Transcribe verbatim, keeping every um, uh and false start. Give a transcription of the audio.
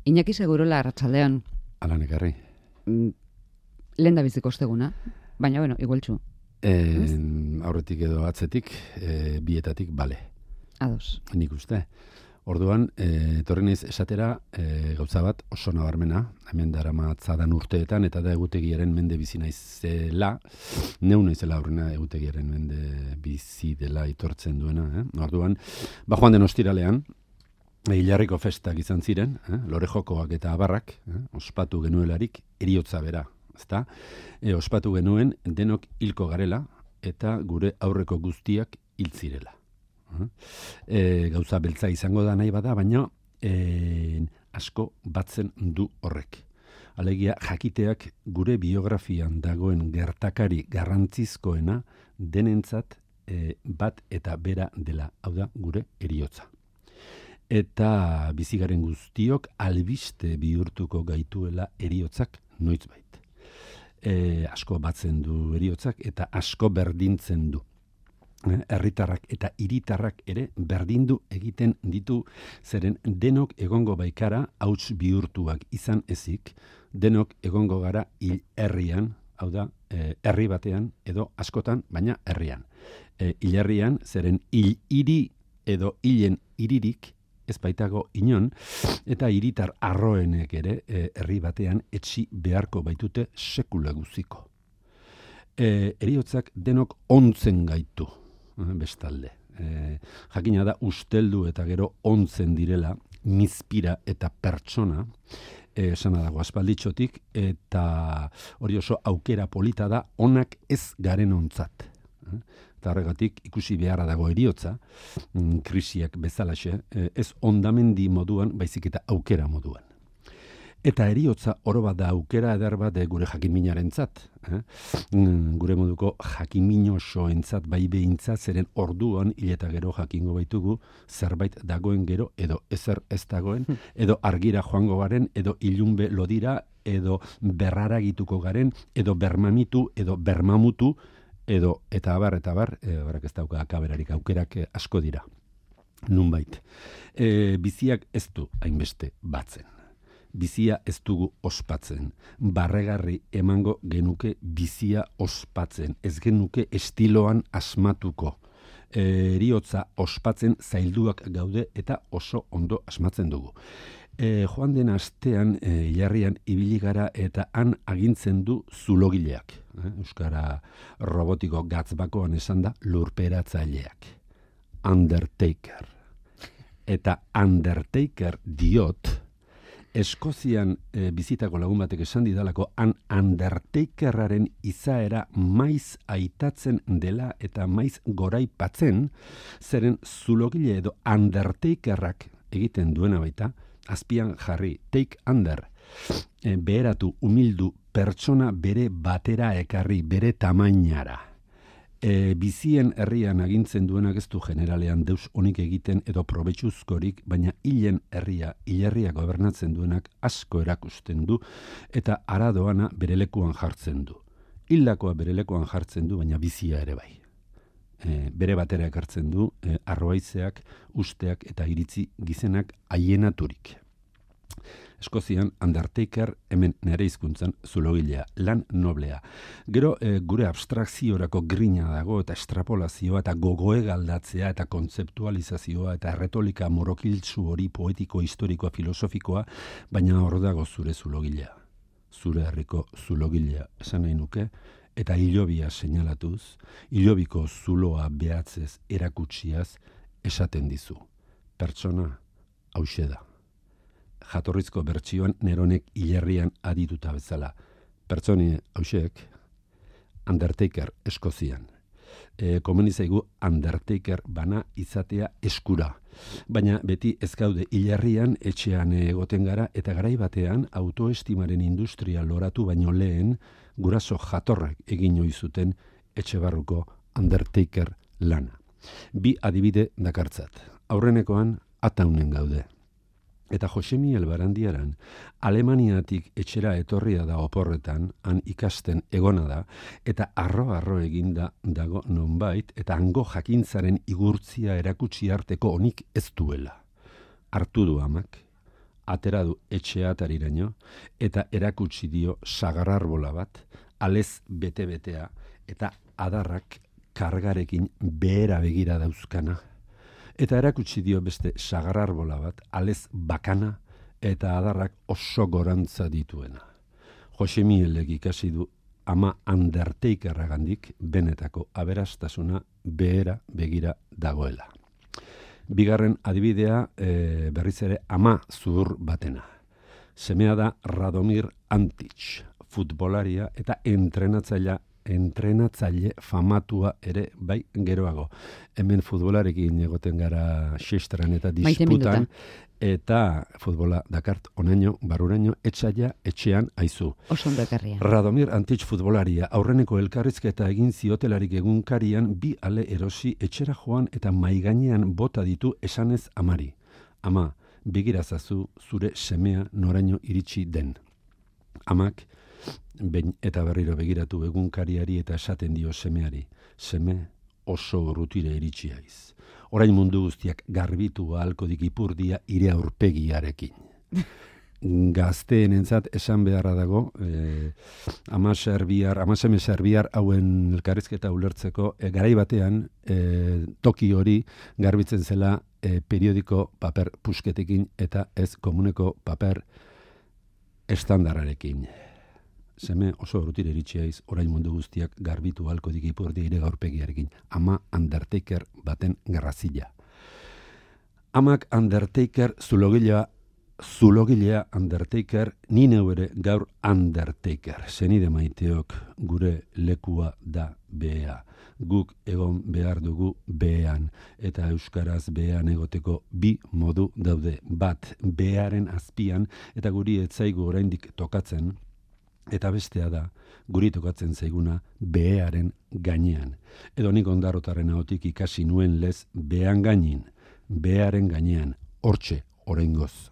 Iñaki Segurola, arratsaldean. Alan ekarri. Lehen da biziko osteguna, baina, bueno, igualtxu. E, aurretik edo atzetik, e, bietatik, bale. Ados. Nik uste. Orduan, e, etorri naiz esatera e, gauza bat oso nabarmena, hemen darama atzadan urteetan, eta da egutegiaren mende bizi naizela, neu naizela aurrena egutegiaren mende bizi dela itortzen duena. Eh? Orduan, ba joan den ostiralean, Hilarriko festak izan ziren, eh? Lore jokoak eta abarrak, eh? ospatu genuelarik eriotza bera, ezta? E, ospatu genuen denok hilko garela eta gure aurreko guztiak hil zirela. E, gauza beltza izango da nahi bada, baina e, asko batzen du horrek. Alegia, jakiteak gure biografian dagoen gertakari garrantzizkoena denentzat e, bat eta bera dela, hau da gure eriotza. Eta bizigaren guztiok albiste bihurtuko gaituela eriotzak noizbait. E, asko batzen du eriotzak eta asko berdintzen du. Herritarrak eta hiritarrak ere berdindu egiten ditu, zeren denok egongo baikara hauts bihurtuak izan ezik, denok egongo gara hil herrian, hau da, e, herri batean edo askotan, baina herrian. E, hil herrian, zeren hil hiri edo hilen hiririk ez baitago inon, eta hiritar arroenek ere e, herri batean etxi beharko baitute sekula guziko. E, eriotzak denok ontzen gaitu, bestalde. E, jakina da usteldu eta gero ontzen direla, mizpira eta pertsona, e, esana dago aspalditxotik, eta hori oso aukera polita da onak ez garen ontzat. Eta horregatik ikusi beharra dago eriotza, krisiak bezalaxe, ez ondamendi moduan, baizik eta aukera moduan. Eta eriotza oro bat da aukera eder bat gure jakinminarentzat, eh? gure moduko jakiminosoentzat bai behintzat, zeren orduan hil eta gero jakingo baitugu zerbait dagoen gero edo ezer ez dagoen, edo argira joango garen, edo ilunbe lodira, edo berraragituko garen, edo bermamitu, edo bermamutu, edo eta abar, eta abar, e, barak ez dauka akaberarik aukerak e, asko dira. Nunbait. E, biziak ez du hainbeste batzen. Bizia ez dugu ospatzen. Barregarri emango genuke bizia ospatzen. Ez genuke estiloan asmatuko. E, eriotza ospatzen zailduak gaude eta oso ondo asmatzen dugu. E, joan den astean, e, Hilarrian ibili gara eta han agintzen du zulogileak. E, Euskara robotiko gatzbakoan esan da lurperatzaileak. Undertaker. Eta Undertaker diot, Eskozian e, bizitako lagun batek esan didalako han Undertakerraren izaera maiz aitatzen dela eta maiz goraipatzen, zeren zulogile edo Undertakerrak egiten duena baita, azpian jarri, take under, e, beheratu, humildu, pertsona bere batera ekarri, bere tamainara. E, bizien herrian agintzen duenak ez du generalean deus onik egiten edo probetxuzkorik, baina hilen herria, hilerria gobernatzen duenak asko erakusten du eta aradoana bere lekuan jartzen du. Hildakoa bere lekuan jartzen du, baina bizia ere bai. E, bere batera ekartzen du, e, arroaizeak, usteak eta iritzi gizenak aienaturik. Eskozian, Undertaker, hemen nere hizkuntzan zulogilea, lan noblea. Gero, e, gure abstrakziorako grina dago eta estrapolazioa eta gogoe galdatzea eta kontzeptualizazioa eta erretolika morokiltsu hori poetiko, historikoa, filosofikoa, baina hor dago zure zulogilea. Zure herriko zulogilea, esan nahi nuke, eta hilobia seinalatuz, hilobiko zuloa behatzez erakutsiaz esaten dizu. Pertsona hauxe da. Jatorrizko bertsioan Neronek hilerrian adituta bezala. Pertsoni hauxek, Undertaker Eskozian. E, komeni zaigu Undertaker bana izatea eskura. Baina beti ez gaude hilerrian etxean egoten gara eta garai batean autoestimaren industria loratu baino lehen guraso jatorrak egin ohi zuten etxe barruko Undertaker lana. Bi adibide dakartzat. Aurrenekoan ataunen gaude. Eta Josemi Elbarandiaran, Alemaniatik etxera etorria da oporretan, han ikasten egona da, eta arro-arro eginda dago nonbait, eta hango jakintzaren igurtzia erakutsi arteko onik ez duela. Hartu du amak, atera du etxea atariraino, eta erakutsi dio sagararbola bat, alez bete-betea, eta adarrak kargarekin behera begira dauzkana. Eta erakutsi dio beste sagararbola bat, alez bakana, eta adarrak oso gorantza dituena. Jose Mielek ikasi du ama Undertakerragandik benetako aberastasuna behera begira dagoela. Bigarren adibidea e, berriz ere ama zuhur batena. Semea da Radomir Antic, futbolaria eta entrenatzailea entrenatzaile famatua ere bai geroago. Hemen futbolarekin egoten gara xistran eta disputan, eta futbola dakart onaino, baruraino, etxaila, etxean aizu. Osondo ekarria. Radomir Antic futbolaria, aurreneko elkarrizketa egin ziotelarik egunkarian bi ale erosi etxera joan eta maigainean bota ditu esanez amari. Ama, begirazazu zure semea noraino iritsi den. Amak, behin eta berriro begiratu egunkariari eta esaten dio semeari, seme oso urrutire iritsi haiz. Orain mundu guztiak garbitu ahalko dik ipurdia ire aurpegiarekin. Gazteenentzat esan beharra dago, eh, ama serbiar, ama seme serbiar hauen elkarrizketa ulertzeko, eh, garai batean eh, toki hori garbitzen zela eh, periodiko paper pusketekin eta ez komuneko paper estandarrarekin. Seme oso urrutire iritsi haiz, orain mundu guztiak garbitu halko dik ipurdia ire aurpegiarekin. Ama Undertaker baten garrazila. Amak Undertaker zulogilea Zulogilea Undertaker, ni neu ere gaur Undertaker. Zenide maiteok gure lekua da behea. Guk egon behar dugu behean. Eta euskaraz behean egoteko bi modu daude. Bat, behearen azpian, eta guri etzaigu oraindik tokatzen, eta bestea da, guri tokatzen zaiguna behearen gainean. Edo nik Ondarrotarren ahotik ikasi nuen lez behean gainin, behearen gainean, hortxe, oraingoz.